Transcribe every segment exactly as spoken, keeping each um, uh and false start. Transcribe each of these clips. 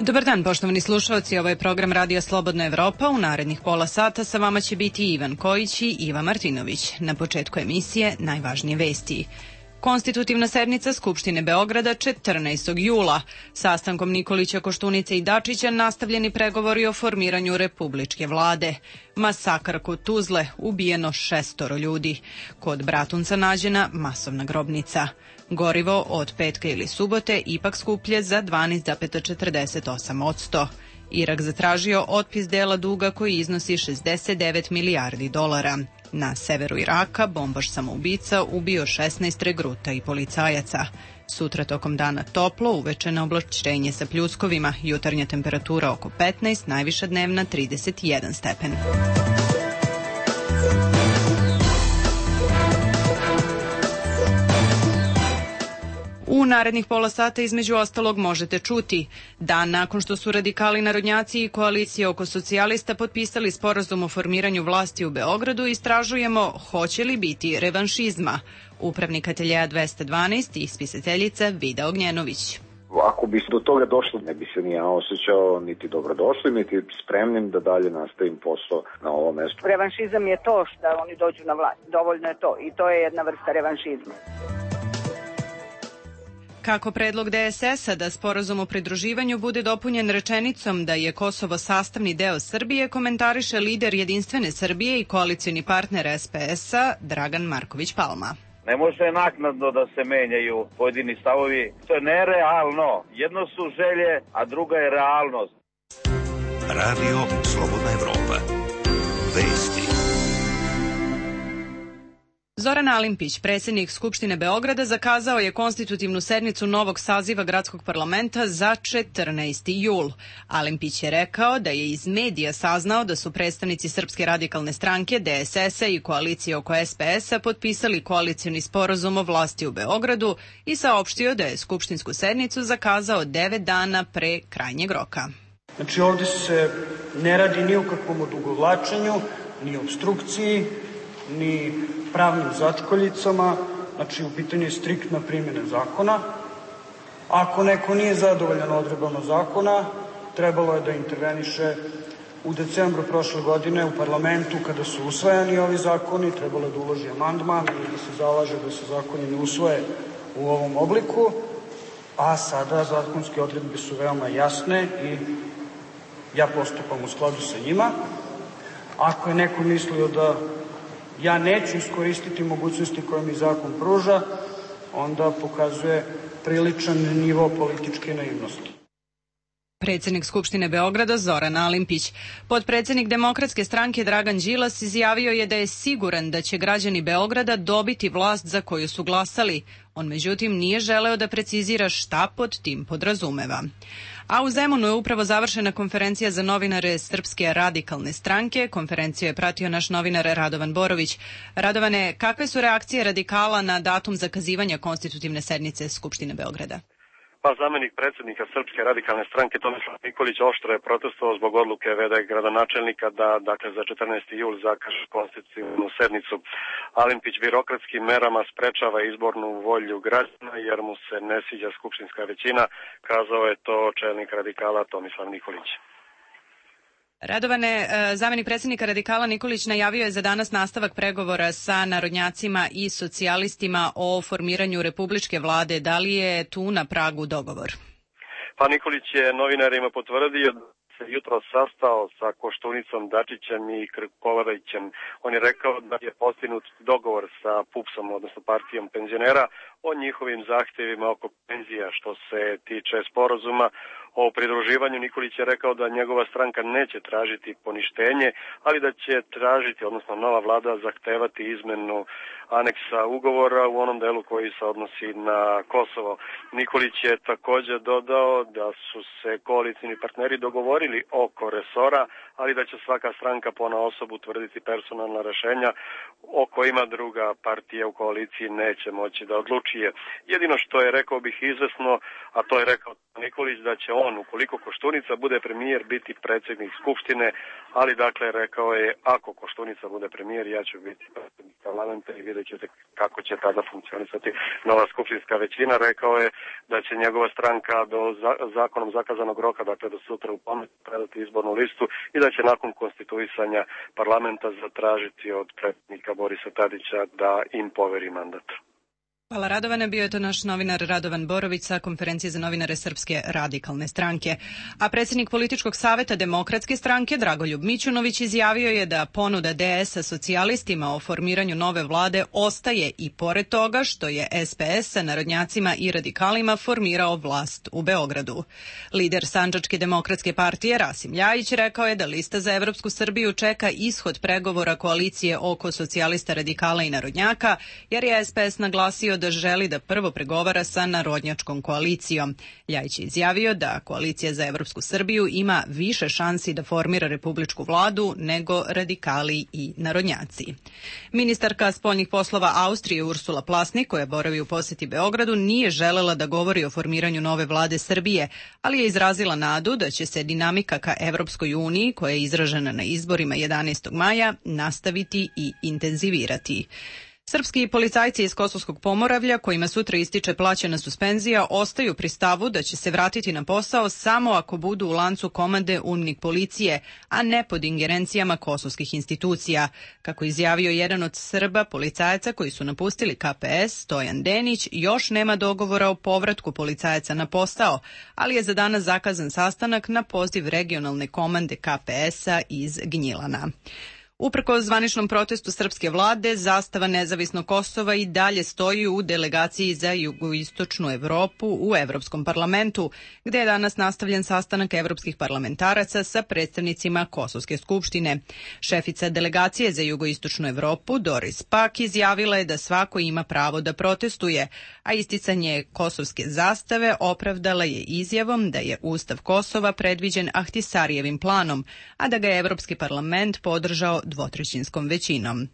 Dobar dan, poštovani slušalci, ovo je program Radija Slobodna Evropa. U narednih pola sata sa vama će biti Ivan Kojić i Iva Martinović. Na početku emisije najvažnije vesti. Konstitutivna sednica Skupštine Beograda četrnaestog jula. Sastankom Nikolića, Koštunice i Dačića nastavljeni pregovori o formiranju republičke vlade. Masakar kod Tuzle, ubijeno šestoro ljudi. Kod Bratunca nađena masovna grobnica. Gorivo od petka ili subote ipak skuplje za dvanaest zarez četrdeset osam posto. Irak zatražio otpis dela duga koji iznosi šezdeset devet milijardi dolara. Na severu Iraka bombaš samoubica ubio šesnaest regruta i policajaca. Sutra tokom dana toplo, uveče na oblačenje sa pljuskovima, jutarnja temperatura oko petnaest, najviša dnevna trideset jedan stepen. U narednih pola sata između ostalog možete čuti. Dan nakon što su radikali narodnjaci i koalicije oko socijalista potpisali sporazum o formiranju vlasti u Beogradu, istražujemo hoće li biti revanšizma. Upravnik ateljeja dvesta dvanaest i spisateljica Vida Ognjenović. Ako bi do toga došlo, ne bi se ni ja osjećao niti dobrodošli, niti spremnim da dalje nastavim posao na ovom mestu. Revanšizam je to što oni dođu na vlast. Dovoljno je to i to je jedna vrsta revanšizma. Kako predlog D S S-a da sporazum o pridruživanju bude dopunjen rečenicom da je Kosovo sastavni deo Srbije, komentariše lider Jedinstvene Srbije i koalicioni partner S P S-a Dragan Marković Palma. Ne može naknadno da se menjaju pojedini stavovi. To je nerealno. Jedno su želje, a druga je realnost. Radio Slobodna Evropa. Vesti. Zoran Alimpić, predsjednik Skupštine Beograda, zakazao je konstitutivnu sednicu novog saziva gradskog parlamenta za četrnaesti jul. Alimpić je rekao da je iz medija saznao da su predstavnici Srpske radikalne stranke, D S S-a i koalicije oko S P S-a potpisali koalicioni sporazum o vlasti u Beogradu i saopštio da je skupštinsku sednicu zakazao devet dana pre krajnjeg roka. Znači ovdje se ne radi ni o kakvom odugovlačenju, ni obstrukciji, ni pravnim začkoljicama, znači u pitanju je striktna primjena zakona. Ako neko nije zadovoljan odredbama zakona, trebalo je da interveniše u decembru prošle godine u parlamentu kada su usvajani ovi zakoni, trebalo je da uloži amandman ili da se zalaže da se zakoni ne usvoje u ovom obliku, a sada zakonske odredbe su veoma jasne i ja postupam u skladu sa njima. Ako je neko mislio da ja neću iskoristiti mogućnosti koje mi zakon pruža, onda pokazuje priličan nivo političke naivnosti. Predsjednik Skupštine Beograda Zoran Alimpić. Potpredsjednik Demokratske stranke Dragan Đilas izjavio je da je siguran da će građani Beograda dobiti vlast za koju su glasali. On međutim nije želeo da precizira šta pod tim podrazumeva. A u Zemunu je upravo završena konferencija za novinare Srpske radikalne stranke. Konferenciju je pratio naš novinar Radovan Borović. Radovane, kakve su reakcije radikala na datum zakazivanja konstitutivne sednice Skupštine Beograda? Pa zamenik predsjednika Srpske radikalne stranke Tomislav Nikolić oštro je protestovao zbog odluke v d gradonačelnika da dakle za četrnaesti jul zakaže konstitutivnu sednicu. Alimpić birokratskim merama sprečava izbornu volju građana jer mu se ne sviđa skupštinska većina, kazao je to čelnik radikala Tomislav Nikolić. Radovane, zamenik predsjednika radikala Nikolić najavio je za danas nastavak pregovora sa narodnjacima i socijalistima o formiranju republičke vlade. Da li je tu na pragu dogovor? Pa Nikolić je novinarima potvrdio da se jutro sastao sa Koštunicom, Dačićem i Krkobabićem. On je rekao da je postignut dogovor sa P U P S-om, odnosno partijom penzionera, o njihovim zahtjevima oko penzija. Što se tiče sporazuma o pridruživanju, Nikolić je rekao da njegova stranka neće tražiti poništenje, ali da će tražiti, odnosno nova vlada zahtevati izmenu aneksa ugovora u onom delu koji se odnosi na Kosovo. Nikolić je također dodao da su se koalicijni partneri dogovorili oko resora, ali da će svaka stranka ponaosob utvrditi personalna rešenja o kojima druga partija u koaliciji neće moći da odlučuje. Jedino što je, rekao bih, izvesno, a to je rekao Nikolić, da će on, ukoliko Koštunica bude premijer, biti predsjednik Skupštine, ali dakle rekao je, ako Koštunica bude premijer, ja ću biti predsjednik parlamenta i vidjet ćete kako će tada funkcionisati nova skupštinska većina. Rekao je da će njegova stranka do zakonom zakazanog roka, dakle do sutra u ponoć, predati izbornu listu i da će nakon konstituisanja parlamenta zatražiti od predsjednika Borisa Tadića da im poveri mandat. Hvala Radovane, bio je to naš novinar Radovan Borović sa konferencije za novinare Srpske radikalne stranke. A predsjednik političkog saveta Demokratske stranke Dragoljub Mićunović izjavio je da ponuda D S-a socijalistima o formiranju nove vlade ostaje i pored toga što je S P S sa narodnjacima i radikalima formirao vlast u Beogradu. Lider Sandžačke demokratske partije Rasim Ljajić rekao je da lista za Evropsku Srbiju čeka ishod pregovora koalicije oko socijalista, radikala i narodnjaka, jer je S P S naglasio da želi da prvo pregovara sa narodnjačkom koalicijom. Ljajić je izjavio da koalicija za Evropsku Srbiju ima više šansi da formira republičku vladu nego radikali i narodnjaci. Ministarka spoljnih poslova Austrije Ursula Plasnik, koja boravi u posjeti Beogradu, nije želela da govori o formiranju nove vlade Srbije, ali je izrazila nadu da će se dinamika ka Evropskoj uniji, koja je izražena na izborima jedanaestog maja, nastaviti i intenzivirati. Srpski policajci iz Kosovskog Pomoravlja, kojima sutra ističe plaćena suspenzija, ostaju pri stavu da će se vratiti na posao samo ako budu u lancu komande UNMIK policije, a ne pod ingerencijama kosovskih institucija. Kako izjavio jedan od Srba policajaca koji su napustili K P S, Stojan Denić, još nema dogovora o povratku policajaca na posao, ali je za danas zakazan sastanak na poziv regionalne komande K P S-a iz Gnjilana. Uprkos zvaničnom protestu srpske vlade, zastava nezavisnog Kosova i dalje stoji u delegaciji za jugoistočnu Evropu u Evropskom parlamentu, gde je danas nastavljen sastanak evropskih parlamentaraca sa predstavnicima Kosovske skupštine. Šefica delegacije za jugoistočnu Evropu, Doris Pak, izjavila je da svako ima pravo da protestuje, a isticanje kosovske zastave opravdala je izjavom da je Ustav Kosova predviđen Ahtisarijevim planom, a da ga je Evropski parlament podržao dvotrećinskom većinom.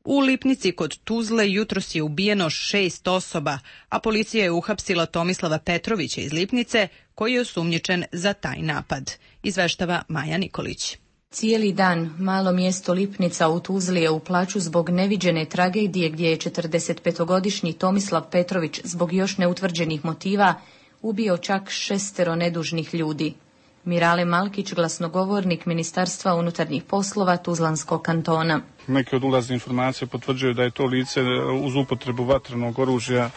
U Lipnici kod Tuzle jutros je ubijeno šest osoba, a policija je uhapsila Tomislava Petrovića iz Lipnice, koji je osumnjičen za taj napad. Izveštava Maja Nikolić. Cijeli dan malo mjesto Lipnica u Tuzli je u plaću zbog neviđene tragedije gdje je četrdesetpetogodišnji Tomislav Petrović zbog još neutvrđenih motiva ubio čak šestero nedužnih ljudi. Mirale Malkić, glasnogovornik Ministarstva unutarnjih poslova Tuzlanskog kantona. Neke od ulazne informacije potvrđuju da je to lice uz upotrebu vatrenog oružja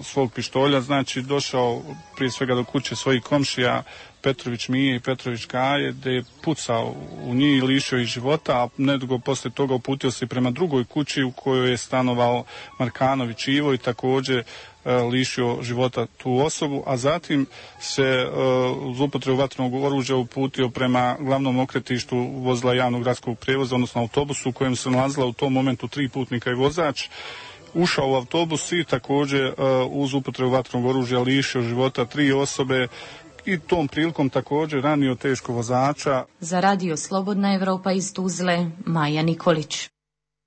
svog pištolja, znači došao prije svega do kuće svojih komšija Petrović Mije i Petrović Kaje, gdje je pucao u njih i lišio ih života, a nedugo poslije toga uputio se prema drugoj kući u kojoj je stanovao Markanović Ivo i također lišio života tu osobu, a zatim se uz upotrebu vatrenog oružja uputio prema glavnom okretištu vozila javnog gradskog prijevoza, odnosno autobusu u kojem se nalazila u tom momentu tri putnika i vozač. Ušao u autobus i također uz upotrebu vatrenog oružja lišio života tri osobe i tom prilikom također ranio teško vozača. Za Radio Slobodna Evropa iz Tuzle, Maja Nikolić.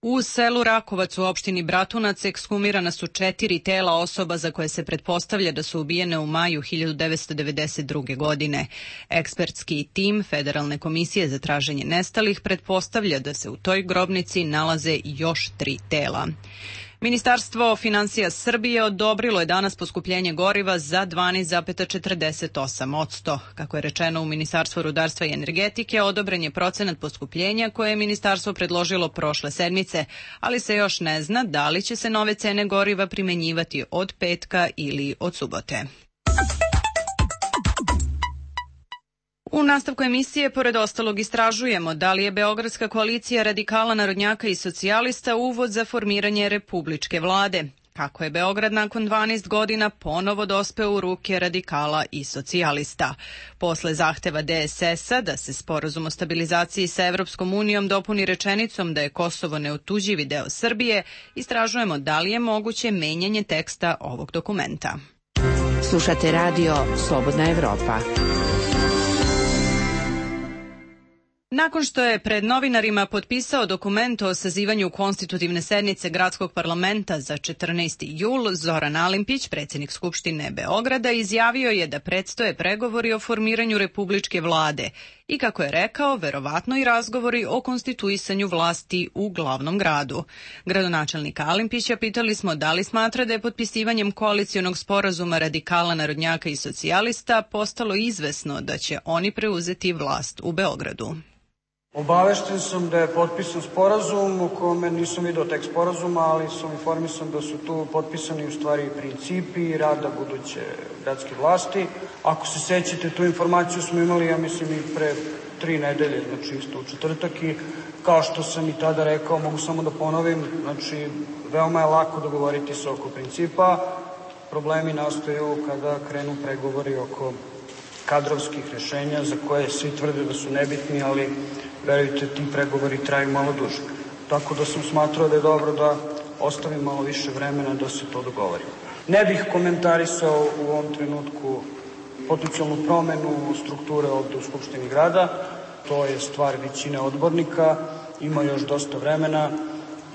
U selu Rakovac u opštini Bratunac ekshumirana su četiri tela osoba za koje se pretpostavlja da su ubijene u maju hiljadu devetsto devedeset druge. godine. Ekspertski tim Federalne komisije za traženje nestalih pretpostavlja da se u toj grobnici nalaze još tri tela. Ministarstvo finansija Srbije odobrilo je danas poskupljenje goriva za dvanaest zarez četrdeset osam posto. Kako je rečeno u Ministarstvu rudarstva i energetike, odobren je procenat poskupljenja koje je ministarstvo predložilo prošle sedmice, ali se još ne zna da li će se nove cene goriva primenjivati od petka ili od subote. U nastavku emisije, pored ostalog, istražujemo da li je Beogradska koalicija radikala, narodnjaka i socijalista uvod za formiranje republičke vlade. Kako je Beograd nakon dvanaest godina ponovo dospeo u ruke radikala i socijalista. Posle zahteva D S S-a da se sporazum o stabilizaciji sa Evropskom unijom dopuni rečenicom da je Kosovo neotuđivi deo Srbije, istražujemo da li je moguće menjanje teksta ovog dokumenta. Slušate radio Slobodna Evropa. Nakon što je pred novinarima potpisao dokument o sazivanju konstitutivne sednice Gradskog parlamenta za četrnaesti jul, Zoran Alimpić, predsjednik Skupštine Beograda, izjavio je da predstoje pregovori o formiranju republičke vlade i, kako je rekao, verovatno i razgovori o konstituisanju vlasti u glavnom gradu. Gradonačelnika Alimpića pitali smo da li smatra da je potpisivanjem koalicionog sporazuma radikala, narodnjaka i socijalista postalo izvesno da će oni preuzeti vlast u Beogradu. Obavešten sam da je potpisan sporazum u kome nisam vidio tekst sporazuma, ali sam informisan da su tu potpisani u stvari principi rada buduće gradske vlasti. Ako se sećate, tu informaciju smo imali, ja mislim, i pre tri nedelje, znači isto u četvrtak, i kao što sam i tada rekao, mogu samo da ponovim, znači veoma je lako dogovoriti se oko principa, problemi nastaju kada krenu pregovori oko kadrovskih rešenja za koje svi tvrde da su nebitni, ali verujte, ti pregovori traju malo duže. Tako da sam smatrao da je dobro da ostavim malo više vremena da se to dogovori. Ne bih komentarisao u ovom trenutku potencijalnu promenu strukture ovde u Skupštini grada. To je stvar većine odbornika, ima još dosta vremena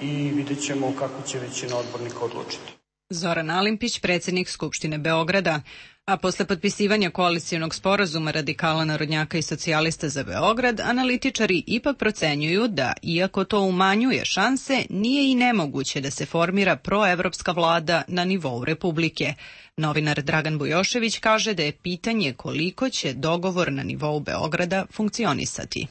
i vidjet ćemo kako će većina odbornika odlučiti. Zoran Alimpić, predsjednik Skupštine Beograda. A posle potpisivanja koalicijonog sporazuma radikala, narodnjaka i socijalista za Beograd, analitičari ipak procenjuju da, iako to umanjuje šanse, nije i nemoguće da se formira proevropska vlada na nivou Republike. Novinar Dragan Bujošević kaže da je pitanje koliko će dogovor na nivou Beograda funkcionisati.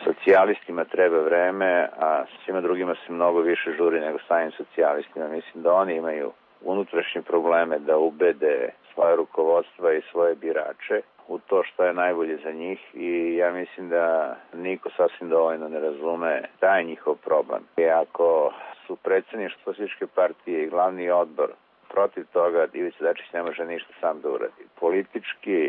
Socijalistima treba vreme, a svima drugima se mnogo više žuri nego samim socijalistima. Mislim da oni imaju unutrašnje probleme da ubede svoje rukovodstva i svoje birače u to što je najbolje za njih, i ja mislim da niko sasvim dovoljno ne razume taj njihov problem. I ako su predsjedništvo Socijalističke partije i glavni odbor protiv toga, Ivica Dačić ne može ništa sam da uradi. Politički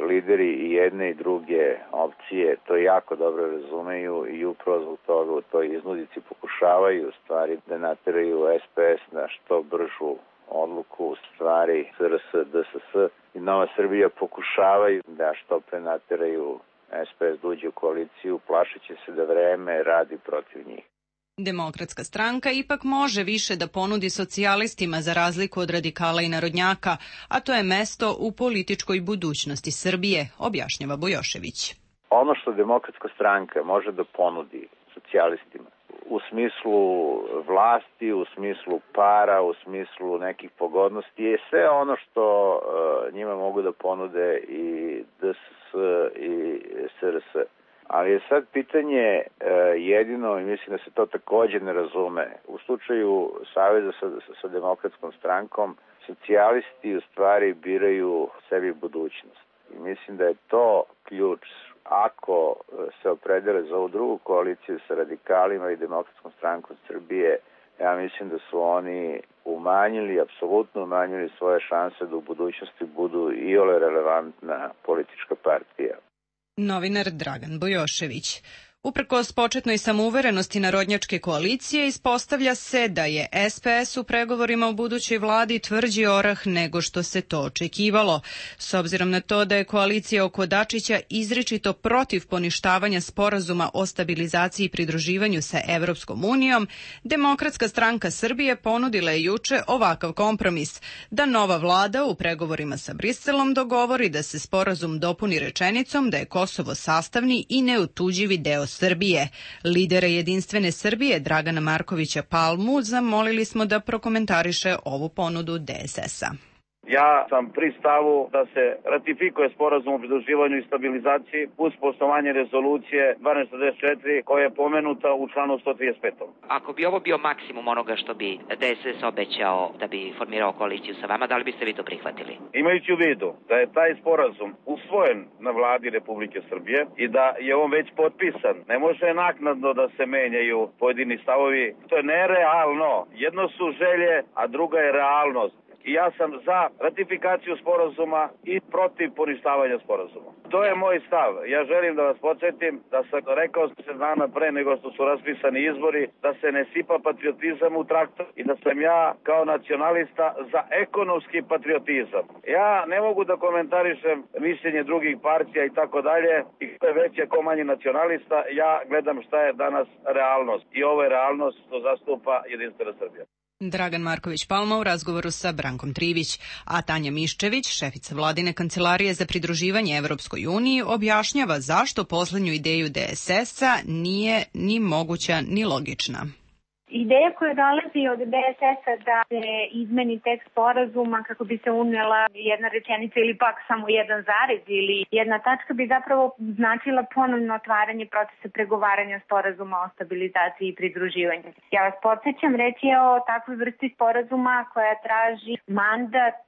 lideri i jedne i druge opcije to jako dobro razumeju i upravo zbog toga u toj iznudici pokušavaju u stvari da nateraju S P S na što bržu odluku, u stvari S R S, D S S i Nova Srbija pokušavaju da što pre nateraju S P S da uđe u koaliciju, plašeći se da vreme radi protiv njih. Demokratska stranka ipak može više da ponudi socijalistima za razliku od radikala i narodnjaka, a to je mesto u političkoj budućnosti Srbije, objašnjava Bujošević. Ono što Demokratska stranka može da ponudi socijalistima u smislu vlasti, u smislu para, u smislu nekih pogodnosti je sve ono što uh, njima mogu da ponude i D S S i S R S. Ali je sad pitanje uh, jedino, i mislim da se to također ne razume, u slučaju saveza sa, sa Demokratskom strankom, socijalisti u stvari biraju sebi budućnost. I mislim da je to ključ. Ako se opredele za ovu drugu koaliciju sa radikalima i Demokratskom strankom Srbije, ja mislim da su oni umanjili, apsolutno umanjili svoje šanse da u budućnosti budu iole relevantna politička partija. Novinar Dragan Bujošević. Uprkos početnoj samouverenosti narodnjačke koalicije, ispostavlja se da je S P S u pregovorima o budućoj vladi tvrđi orah nego što se to očekivalo. S obzirom na to da je koalicija oko Dačića izričito protiv poništavanja sporazuma o stabilizaciji i pridruživanju sa Evropskom unijom, Demokratska stranka Srbije ponudila je juče ovakav kompromis, da nova vlada u pregovorima sa Briselom dogovori da se sporazum dopuni rečenicom da je Kosovo sastavni i neotuđivi deo Srbije. Lidera Jedinstvene Srbije Dragana Markovića Palmu zamolili smo da prokomentariše ovu ponudu D S S-a. Ja sam pri stavu da se ratifikuje sporazum o pridruživanju i stabilizaciji uz poštovanje rezolucije dvanaest četrdeset četiri koja je pomenuta u članu sto trideset pet. Ako bi ovo bio maksimum onoga što bi D S S obećao da bi formirao koaliciju sa vama, da li biste vi to prihvatili? Imajući u vidu da je taj sporazum usvojen na vladi Republike Srbije i da je on već potpisan, ne može naknadno da se menjaju pojedini stavovi. To je nerealno. Jedno su želje, a druga je realnost. I ja sam za ratifikaciju sporazuma i protiv poništavanja sporazuma. To je moj stav. Ja želim da vas podsjetim da sam rekao se dana pre nego što su raspisani izbori da se ne sipa patriotizam u traktor i da sam ja kao nacionalista za ekonomski patriotizam. Ja ne mogu da komentarišem mišljenje drugih partija i tako dalje i ko je veći, ko manji nacionalista, ja gledam šta je danas realnost i ovo je realnost što zastupa Jedinstvena Srbija. Dragan Marković Palma u razgovoru sa Brankom Trivić, a Tanja Miščević, šefica vladine kancelarije za pridruživanje Evropskoj uniji, objašnjava zašto poslednju ideju D S S-a nije ni moguća ni logična. Ideja koja dolazi od D S S-a da se izmeni tekst sporazuma kako bi se unela jedna rečenica ili pak samo jedan zarez ili jedna tačka bi zapravo značila ponovno otvaranje procesa pregovaranja sporazuma o stabilizaciji i pridruživanju. Ja vas podsjećam, reći je o takvoj vrsti sporazuma koja traži mandat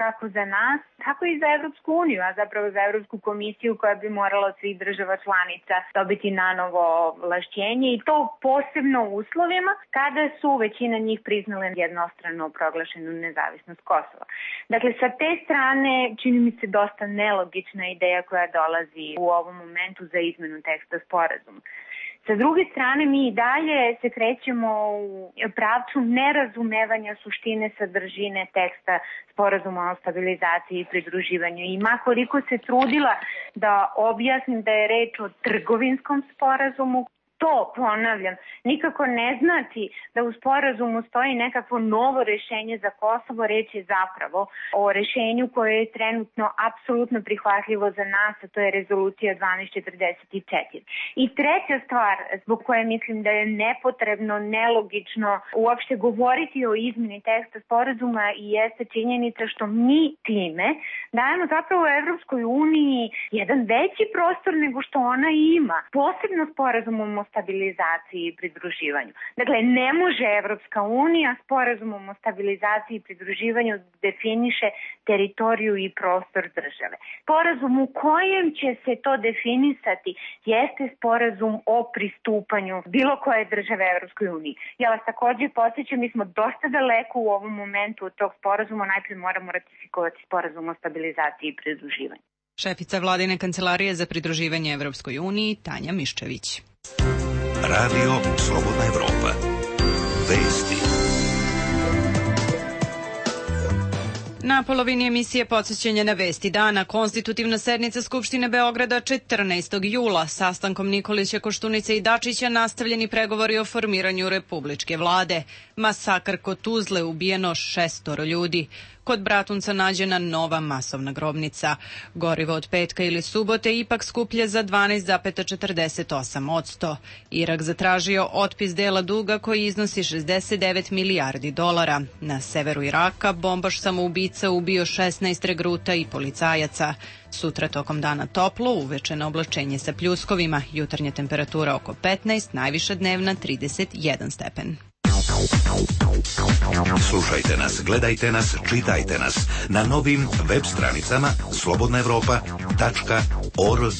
kako za nas, tako i za Evropsku uniju, a zapravo za Evropsku komisiju koja bi morala od svih država članica dobiti nanovo ovlašćenje i to posebno u uslovima kada su većina njih priznale jednostrano proglašenu nezavisnost Kosova. Dakle, sa te strane čini mi se dosta nelogična ideja koja dolazi u ovom momentu za izmenu teksta sporazuma. Sa druge strane, mi i dalje se krećemo u pravcu nerazumevanja suštine sadržine teksta sporazuma o stabilizaciji i pridruživanju. I makoliko se trudila da objasnim da je reč o trgovinskom sporazumu, to, ponavljam, nikako ne znači da u sporazumu stoji nekakvo novo rešenje za Kosovo, reč je zapravo o rešenju koje je trenutno apsolutno prihvatljivo za nas, a to je rezolucija dvanaest četrdeset četiri. I treća stvar zbog koje mislim da je nepotrebno, nelogično uopšte govoriti o izmeni teksta sporazuma i jeste činjenica što mi time dajemo zapravo Evropskoj uniji jedan veći prostor nego što ona ima, posebno sporazumom o stabilizaciji i pridruživanju. Dakle, ne može Evropska unija sporazumom o stabilizaciji i pridruživanju definiše teritoriju i prostor države. Sporazum u kojem će se to definisati jeste sporazum o pristupanju bilo koje države Evropskoj uniji. Ja vas također podsjećam, mi smo dosta daleko u ovom momentu od tog sporazuma, najprije moramo ratifikovati sporazum o stabilizaciji i pridruživanju. Šefica vladine kancelarije za pridruživanje Evropskoj uniji Tanja Miščević. Radio Slobodna Evropa. Vesti. Na polovini emisije podsjećanja na vesti dana, konstitutivna sednica Skupštine Beograda četrnaestog jula. Sastankom Nikolića, Koštunice i Dačića nastavljeni pregovori o formiranju republičke vlade. Masakr kod Tuzle, ubijeno šestoro ljudi. Kod Bratunca nađena nova masovna grobnica. Gorivo od petka ili subote ipak skuplje za dvanaest zarez četrdeset osam posto. Irak zatražio otpis dela duga koji iznosi šezdeset devet milijardi dolara. Na severu Iraka bombaš samoubica ubio šesnaest regruta i policajaca. Sutra tokom dana toplo, uveče na oblačenje sa pljuskovima. Jutarnja temperatura oko petnaest, najviša dnevna trideset jedan stepen. Slušajte nas, gledajte nas, čitajte nas na novim web stranicama slobodna evropa tačka org.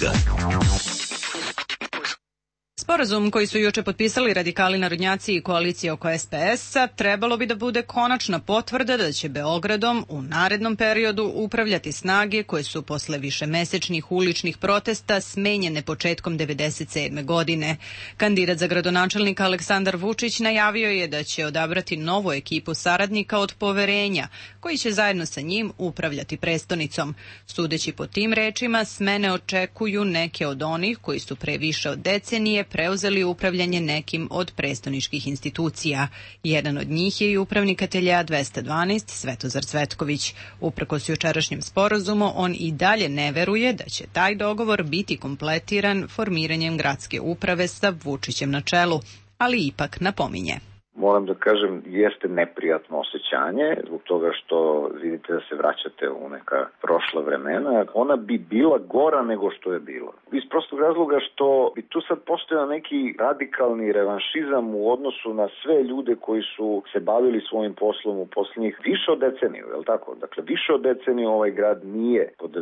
Sporazum koji su juče potpisali radikali narodnjaci i koalicija oko S P S-a trebalo bi da bude konačna potvrda da će Beogradom u narednom periodu upravljati snage koje su posle višemesečnih uličnih protesta smenjene početkom devedeset sedme godine. Kandidat za gradonačelnika Aleksandar Vučić najavio je da će odabrati novu ekipu saradnika od poverenja koji će zajedno sa njim upravljati prestonicom. Sudeći po tim rečima, smene očekuju neke od onih koji su pre više od decenije preuzeli upravljanje nekim od prestoničkih institucija. Jedan od njih je i upravnik ateljeja dvesta dvanaest Svetozar Cvetković. Uprkos jučerašnjem sporazumu, on i dalje ne veruje da će taj dogovor biti kompletiran formiranjem gradske uprave sa Vučićem na čelu, ali ipak napominje. Moram da kažem, jeste neprijatno osjećanje zbog toga što vidite da se vraćate u neka prošla vremena. Ona bi bila gora nego što je bila. Iz prostog razloga što bi tu sad postojao neki radikalni revanšizam u odnosu na sve ljude koji su se bavili svojim poslom u posljednjih više od deceniju, je li tako? Dakle, više od deceniju ovaj grad nije pod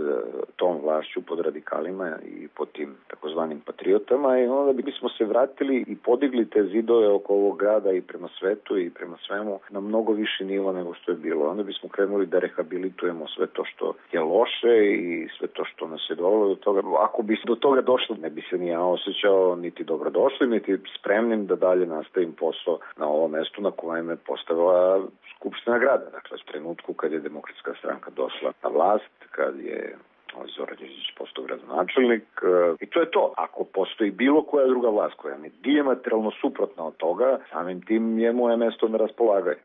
tom vlašću, pod radikalima i pod tim takozvanim patriotama i onda bismo se vratili i podigli te zidove oko ovog grada i prema prema svetu i prema svemu na mnogo viši nivo nego što je bilo. Onda bismo krenuli da rehabilitujemo sve to što je loše i sve to što nas je dovelo do toga. Ako bi do toga došlo, ne bi se ni ja osjećao niti dobrodošli, niti spremnim da dalje nastavim posao na ovom mestu na kojem je postavila Skupština grada. Dakle, u trenutku kad je Demokratska stranka došla na vlast, kad je Zoran Đinđić postao gradonačelnik i to je to. Ako postoji bilo koja druga vlast koja je dijametralno suprotna od toga, samim tim je moje mesto na raspolaganju.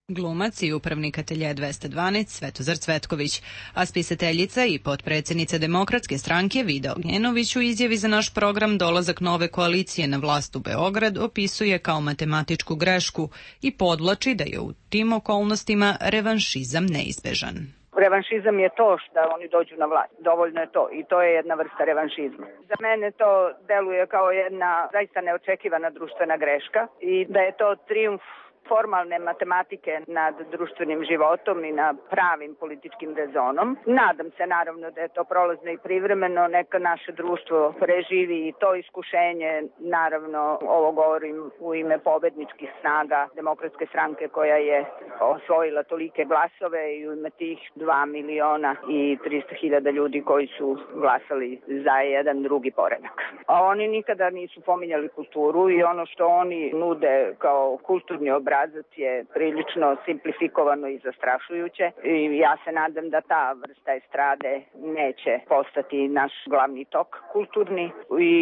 Glumac i upravnik atelje dvesta dvanaest Svetozar Cvetković, a spisateljica i potpredsjednica Demokratske stranke Vida Ognjenović u izjavi za naš program Dolazak nove koalicije na vlast u Beograd opisuje kao matematičku grešku i podvlači da je u tim okolnostima revanšizam neizbežan. Revanšizam je to što oni dođu na vlast. Dovoljno je to i to je jedna vrsta revanšizma. Za mene to deluje kao jedna zaista neočekivana društvena greška i da je to trijumf formalne matematike nad društvenim životom i na pravim političkim rezonom. Nadam se naravno da je to prolazno i privremeno, neka naše društvo preživi i to iskušenje. Naravno, ovo govorim u ime pobedničkih snaga Demokratske stranke koja je osvojila tolike glasove i u ime tih dva miliona i trista hiljada ljudi koji su glasali za jedan drugi poredak. A oni nikada nisu pominjali kulturu i ono što oni nude kao kulturni obraz je prilično simplifikovano i zastrašujuće i ja se nadam da ta vrsta estrade neće postati naš glavni tok kulturni i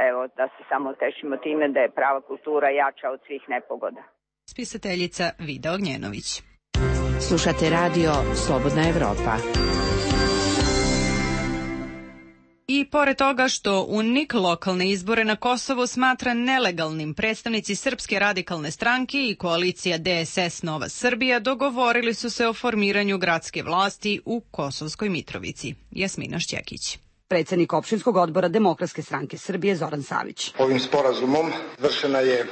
evo da se samo tešimo time da je prava kultura jača od svih nepogoda. Spisateljica Vida Ognjenović. Slušate radio Slobodna Evropa. I pored toga što U N I K lokalne izbore na Kosovu smatra nelegalnim, predstavnici Srpske radikalne stranke i koalicija D S S Nova Srbija dogovorili su se o formiranju gradske vlasti u Kosovskoj Mitrovici. Jasmina Šćekić. Predsednik opštinskog odbora Demokratske stranke Srbije Zoran Savić. Ovim sporazumom vršena je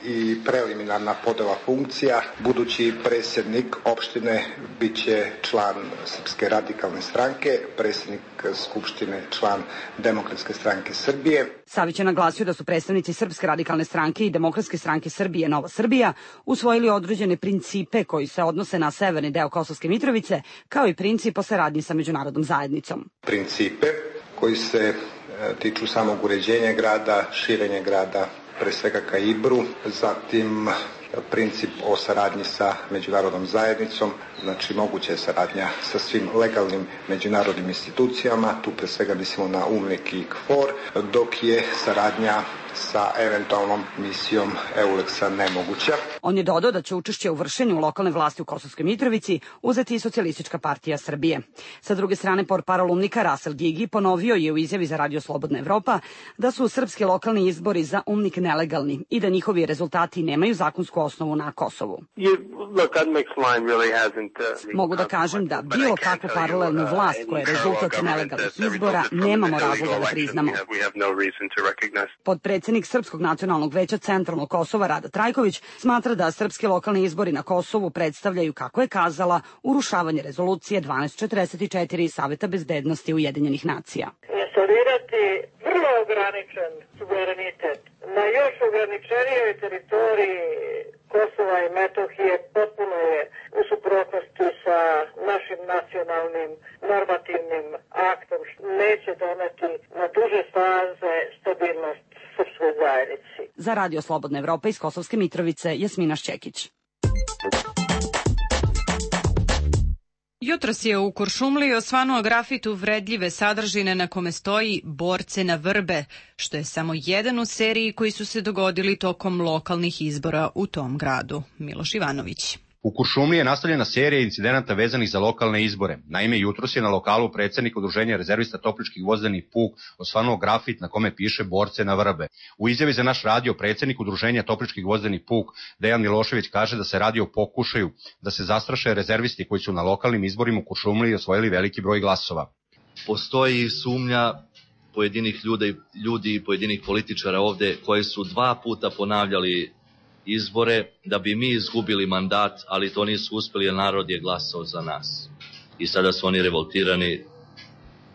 i preliminarna podela funkcija. Budući predsjednik opštine biće član Srpske radikalne stranke, predsjednik Skupštine član Demokratske stranke Srbije. Savić je naglasio da su predstavnici Srpske radikalne stranke i Demokratske stranke Srbije Nova Srbija usvojili određene principe koji se odnose na severni deo Kosovske Mitrovice, kao i princip o saradnji sa međunarodnom zajednicom. Principe koji se tiču samog uređenja grada, širenja grada, pre svega ka Ibru, zatim princip o saradnji sa međunarodnom zajednicom, znači moguća je saradnja sa svim legalnim međunarodnim institucijama, tu pre svega mislimo na U N I K i K F O R, dok je saradnja sa eventualnom misijom EULEX-a nemoguća. On je dodao da će učešće u vršenju lokalne vlasti u Kosovskoj Mitrovici uzeti i Socijalistička partija Srbije. Sa druge strane, portparol U N I K-a Rasel Gigi ponovio je u izjavi za radio Slobodna Evropa da su srpski lokalni izbori za U N I K nelegalni i da njihovi rezultati nemaju zakonsku osnovu na Kosovu. Mogu da kažem da bilo kakvu paralelnu vlast koja je rezultat nelegalnih izbora nemamo razloga da priznamo. Podpredsednik Srpskog nacionalnog veća Centralnog Kosova Rada Trajković smatra da srpski lokalni izbori na Kosovu predstavljaju, kako je kazala, urušavanje rezolucije dvanaest četrdeset četiri Saveta bezbednosti Ujedinjenih nacija. Instalirati vrlo ograničen suverenitet na još ograničenijoj teritoriji Kosova i Metohije potpuno je u suprotnosti sa našim nacionalnim normativnim aktom, neće doneti na duže staze stabilnost srpskoj zajednici. Za radio Slobodna Evropa iz Kosovske Mitrovice, Jasmina Šćekić. Jutros je u Kuršumliji osvanuo grafit uvredljive sadržine na kome stoji "Borce na vrbe", što je samo jedan u seriji koji su se dogodili tokom lokalnih izbora u tom gradu. Miloš Ivanović. U Kuršumliji je nastavljena serija incidenata vezanih za lokalne izbore. Naime, jutros je na lokalu predsednik Udruženja rezervista Topličkih vozdenih puk osvanuo grafit na kome piše "Borce na vrbe". U izjavi za naš radio predsednik Udruženja Topličkih vozdenih puk Dejan Milošević kaže da se radi o pokušaju da se zastraše rezervisti koji su na lokalnim izborima u Kuršumliji osvojili veliki broj glasova. Postoji sumnja pojedinih ljudi, ljudi i pojedinih političara ovde koji su dva puta ponavljali izbore da bi mi izgubili mandat, ali to nisu uspeli jer narod je glasao za nas. I sada su oni revoltirani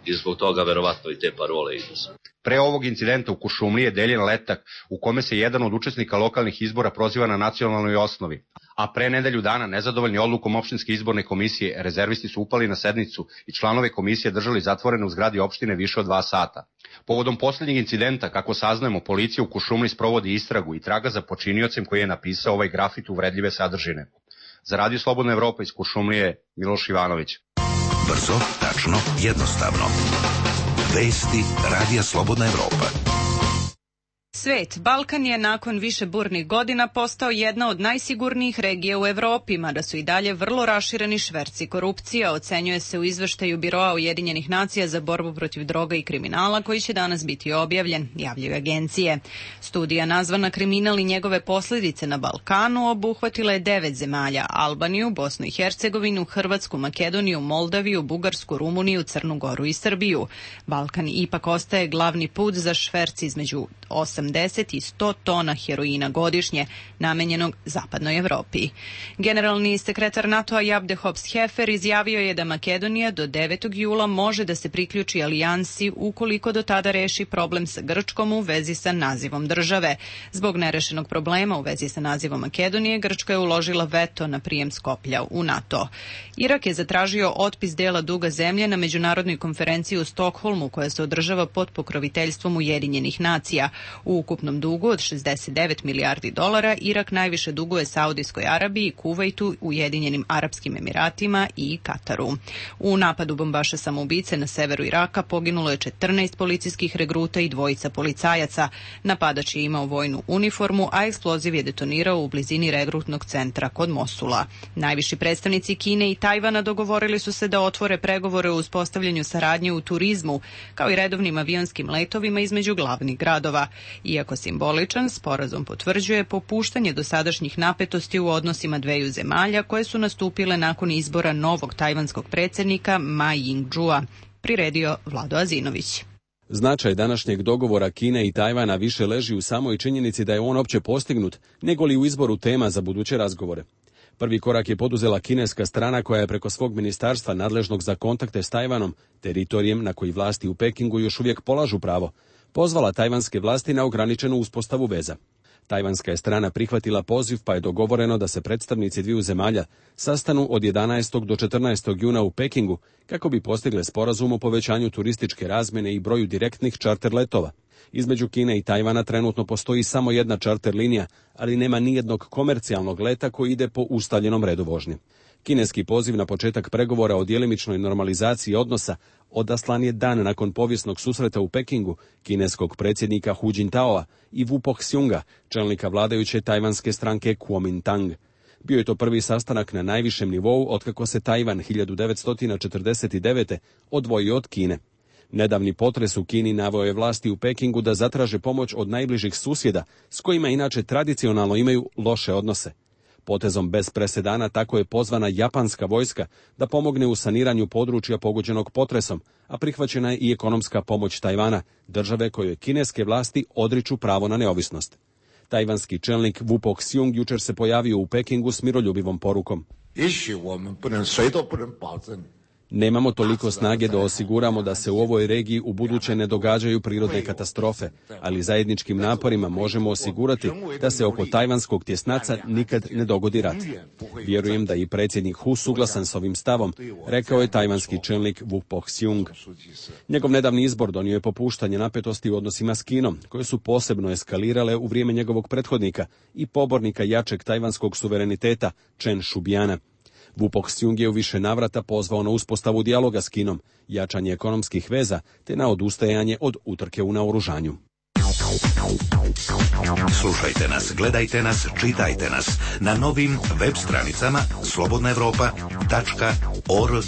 i zbog toga verovatno i te parole idu. Pre ovog incidenta u Kuršumliji je deljen letak u kome se jedan od učesnika lokalnih izbora proziva na nacionalnoj osnovi. A pre nedelju dana, nezadovoljni odlukom opštinske izborne komisije, rezervisti su upali na sednicu i članove komisije držali zatvorene u zgradi opštine više od dva sata. Povodom poslednjeg incidenta, kako saznajemo, policija u Kuršumliji sprovodi istragu i traga za počiniocem koji je napisao ovaj grafit uvredljive sadržine. Za Radio Slobodna Evropa iz Kuršumlije, Miloš Ivanović. Brzo, tačno, jednostavno. Vesti Radija Slobodna Evropa. Svet, Balkan je nakon više burnih godina postao jedna od najsigurnijih regija u Evropi, mada su i dalje vrlo rašireni šverci korupcija, ocenjuje se u izveštaju Biroa Ujedinjenih nacija za borbu protiv droga i kriminala, koji će danas biti objavljen, javljaju agencije. Studija nazvana Kriminal i njegove posledice na Balkanu obuhvatila je devet zemalja: Albaniju, Bosnu i Hercegovinu, Hrvatsku, Makedoniju, Moldaviju, Bugarsku, Rumuniju, Crnu Goru i Srbiju. Balkan ipak ostaje glavni put za šverc između osamdeset i sto tona heroina godišnje, namenjenog zapadnoj Evropi. Generalni sekretar NATO-a Jabde Hops-Hefer izjavio je da Makedonija do devetog jula može da se priključi alijansi ukoliko do tada reši problem sa Grčkom u vezi sa nazivom države. Zbog nerešenog problema u vezi sa nazivom Makedonije, Grčka je uložila veto na prijem Skoplja u NATO. Irak je zatražio otpis dela duga zemlje na međunarodnoj konferenciji u Stokholmu, koja se održava pod pokroviteljstvom Ujedinjenih nacija. U ukupnom dugu od šezdeset devet milijardi dolara Irak najviše duguje Saudijskoj Arabiji, Kuvajtu, Ujedinjenim Arapskim Emiratima i Kataru. U napadu bombaša samoubice na severu Iraka poginulo je četrnaest policijskih regruta i dvojica policajaca. Napadač je imao vojnu uniformu, a eksploziv je detonirao u blizini regrutnog centra kod Mosula. Najviši predstavnici Kine i Tajvana dogovorili su se da otvore pregovore o uspostavljanju saradnje u turizmu, kao i redovnim avionskim letovima između glavnih gradova. Iako simboličan, sporazum potvrđuje popuštanje dosadašnjih napetosti u odnosima dveju zemalja koje su nastupile nakon izbora novog tajvanskog predsjednika Ma Ying-jeua, priredio Vlado Azinović. Značaj današnjeg dogovora Kine i Tajvana više leži u samoj činjenici da je on opće postignut, nego li u izboru tema za buduće razgovore. Prvi korak je poduzela kineska strana, koja je preko svog ministarstva nadležnog za kontakte s Tajvanom, teritorijem na koji vlasti u Pekingu još uvijek polažu pravo, pozvala tajvanske vlasti na ograničenu uspostavu veza. Tajvanska je strana prihvatila poziv, pa je dogovoreno da se predstavnici dviju zemalja sastanu od jedanaestog do četrnaestog juna u Pekingu kako bi postigle sporazum o povećanju turističke razmjene i broju direktnih čarter letova. Između Kine i Tajvana trenutno postoji samo jedna čarter linija, ali nema nijednog komercijalnog leta koji ide po ustaljenom redu vožnje. Kineski poziv na početak pregovora o djelimičnoj normalizaciji odnosa odaslan je dan nakon povijesnog susreta u Pekingu kineskog predsjednika Hu Jintaoa i Wu Poxiunga, čelnika vladajuće tajvanske stranke Kuomintang. Bio je to prvi sastanak na najvišem nivou otkako se Tajvan hiljadu devetsto četrdeset devete. odvojio od Kine. Nedavni potres u Kini naveo je vlasti u Pekingu da zatraže pomoć od najbližih susjeda, s kojima inače tradicionalno imaju loše odnose. Potezom bez presedana tako je pozvana japanska vojska da pomogne u saniranju područja pogođenog potresom, a prihvaćena je i ekonomska pomoć Tajvana, države kojoj kineske vlasti odriču pravo na neovisnost. Tajvanski čelnik Wu Poxiung jučer se pojavio u Pekingu s miroljubivom porukom. Nemamo toliko snage da osiguramo da se u ovoj regiji u buduće ne događaju prirodne katastrofe, ali zajedničkim naporima možemo osigurati da se oko tajvanskog tjesnaca nikad ne dogodi rat. Vjerujem da i predsjednik Hu suglasan s ovim stavom, rekao je tajvanski čelnik Wu Poxiung. Njegov nedavni izbor donio je popuštanje napetosti u odnosima s Kinom, koje su posebno eskalirale u vrijeme njegovog prethodnika i pobornika jačeg tajvanskog suvereniteta Chen Shubiana. Wu Poxiung je u više navrata pozvao na uspostavu dijaloga s Kinom, jačanje ekonomskih veza te na odustajanje od utrke u naoružanju. Slušajte nas, gledajte nas, čitajte nas na novim web stranicama slobodna evropa tačka org.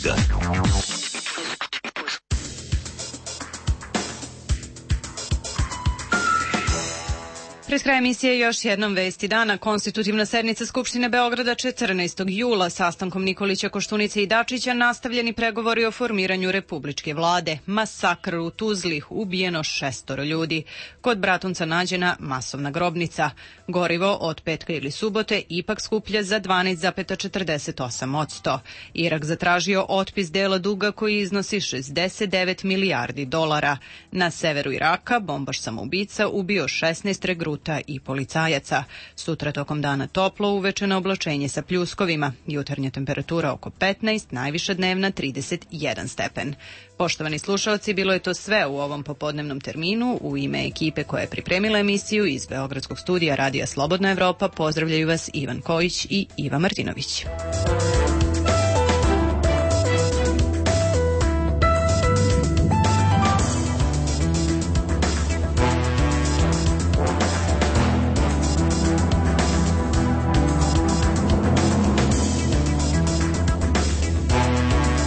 Pred kraj emisije još jednom vesti dana. Konstitutivna sednica Skupštine Beograda četrnaestog jula sastankom Nikolića, Koštunice i Dačića nastavljeni pregovori o formiranju republičke vlade. Masakr u Tuzli, ubijeno šestoro ljudi. Kod Bratunca nađena masovna grobnica. Gorivo od petka ili subote ipak skuplja za dvanaest zarez četrdeset osam posto. Irak zatražio otpis dela duga koji iznosi šezdeset devet milijardi dolara. Na severu Iraka bombaš samoubica ubio šesnaest regruta i policajaca. Sutra tokom dana toplo, uveče na oblačenje sa pljuskovima. Jutarnja temperatura oko petnaest, najviša dnevna trideset jedan stepen. Poštovani slušalci, bilo je to sve u ovom popodnevnom terminu. U ime ekipe koja je pripremila emisiju iz Beogradskog studija Radija Slobodna Evropa pozdravljaju vas Ivan Kojić i Iva Martinović.